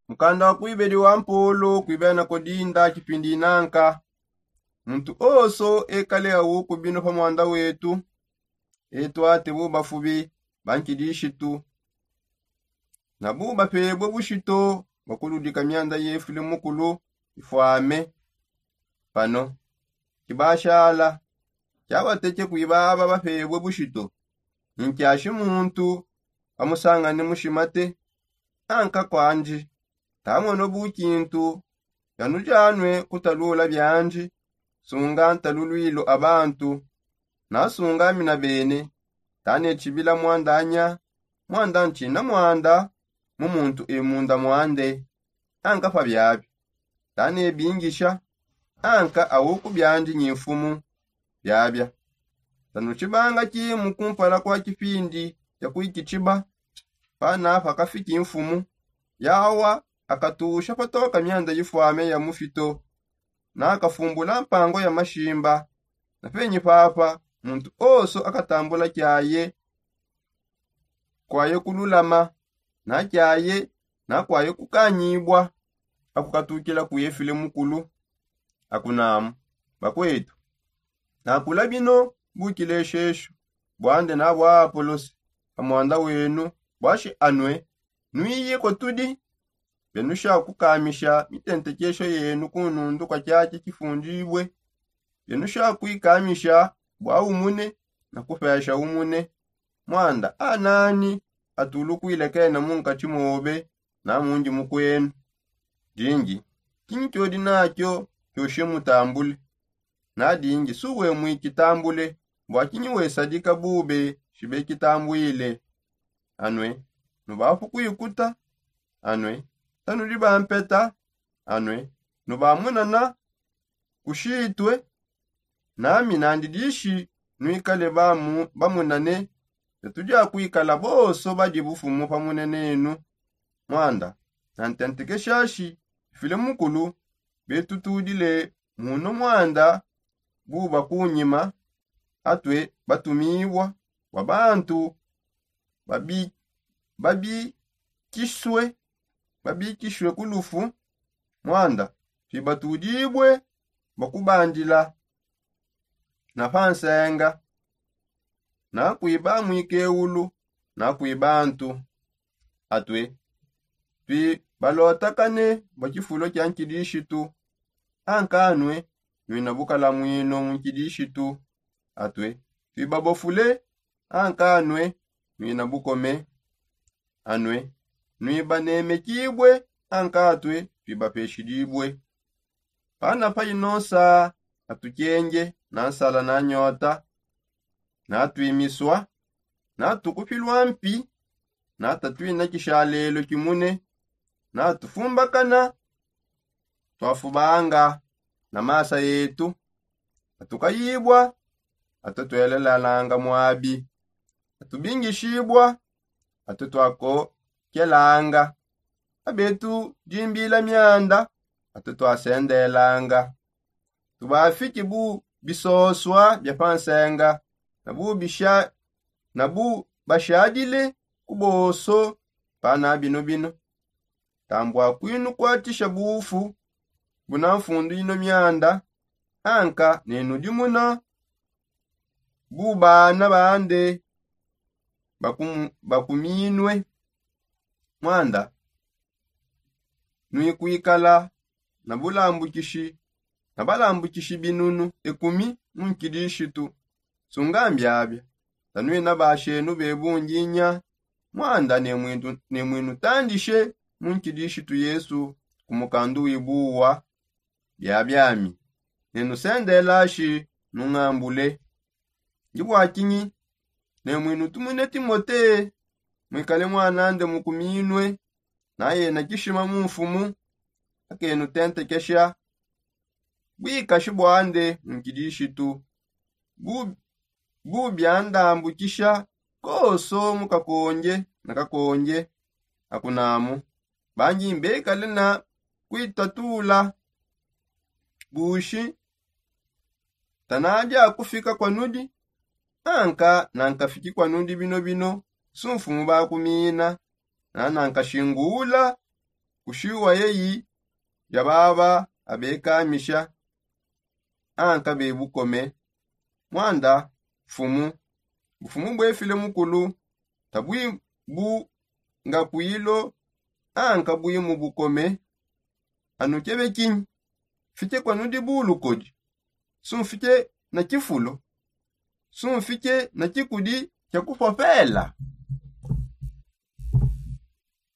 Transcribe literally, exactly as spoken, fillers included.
Mukanda wa kuibedi wa mpolo kuibena kodinda kipindi inanka. Muntu oso ekale awuku bino pa mwanda wetu, etu ate bubafubi ba nkidishitu na bubapebue bushito bwa kuludika myanda yefule mukulu ifwame. Pano kibashala kyabateke kuibaba bapebue bushito. Ni nkyashi muntu amusangane mushima te anka kwandi. Tamono bukintu yanujanwe kutalula byandi. Sunga ntalulwilo abantu nasunga mina bene. Tane tshibila mwandanya mwanda ntshina mwanda mu muntu emunda mwande. Anka pa byabyo tane bingisha anka awuku byandi nyi mfumu. Byabya tanu tshibanga kimu kumpala kwa kipindi kya kuikitshiba. Pana pakafiki mfumu yawa akatusha patoka myanda yifwame ya mufito nakafumbula mpango ya mashimba. Na penyi papa muntu oso akatambula kyaye kwaye kululama na kyaye na kwaye kukanyibwa. Akukatukila kuyefile mukulu akunamu bakwetu nakula bino bukileshesho bwande na bwa apolosi pa mwanda wenu. Bwashi anwe nwiye kwa tudi byanusha kukamisha mitentekesho yenu ku nundu kwa kyakya kifundibwe. Byanusha kwikamisha bwa umune na kupesha umune. Mwanda anani atulu kwilekena mu nkatshi mobe na mundi mukwenu? Dingi kinyi kyodi nakyo kyoshe mutambule. Na dingi suwe mwikitambule bwa kinyi wesadika bube shibe kitambwile? Anwe nubafu kwikuta anwe tanudi bampeta anwe nubamunana kushitwe. Nami nandi dishi nwikale bamunane betu dia kwikala bonso badi bufumu pamunenenu. Mwanda nantentekeshashi file mukulu betu tudile muno mwanda buba kunyima atwe batumibwa bwa bantu babi babikiswe babikiswe ku lufu. Mwanda twibatudibwe bakubandila na pansenga na kwiba mwikeulu na kwiba ntu. Atwe twibalotakane bwa kifulo kya nkidishitu ankanwe nwina bukalamwino mu nkidishitu. Atwe twibabofule ankanwe nwina bukome. Anwe nwibanemekibwe ankatwe twibapeshidibwe. Pana payi nonsa atukyenge na nsala na nyota na twimiswa na tukupilwa mpi na tatwina kishalelo kimune na tufumbakana twafubanga na masa yetu. Atukayibwa atwe twelelalanga mwabi atubingishibwa atwe twakokelanga abetu dimbila myanda atwe twasendelanga. Tubafiki bu bisoswa bya pansenga na bu bisha na bu bashadile ku boso pana bino bino. Tambwa kwinu kwatisha bufu buna mfundu ino myanda anka nenu dimuna bu bana bande bakuminwe. Mwanda nwikwikala na bulambukishi na balambukishi binunu ekumi mu nkidishitu. Sungambi abya tanwina bashenu bebunginya mwanda nemwinutandishe mu nkidishitu yesu ku mukandu wibuwa. Byabyami nenusendelashi nungambule. Ndi bwakinyi nemwinutumwine timote mwikale mwanande mukuminwe na yena kishima mu mfumu akenutentekesha bwikashi bwande mu nkidishitu bu byandambukisha koso mu kakonge na kakonge. Akunamu bangi mbekale na kwitatula bushi tanadi akufika kwa nudi anka nankafiki kwa nudi bino bino sumfumu bakumina na nankashingula Kushiwa yeyi ya baba abekamisha anka be bukome. Mwanda mfumu, bufumu bwefile mukulu tabwi bu ngapwilo anka bwi mu bukome. Anu kebe kinyi? Fite kwanu dibulu kodi? Sunfite na kifulo? Sunfite na kikudi kya kupopela?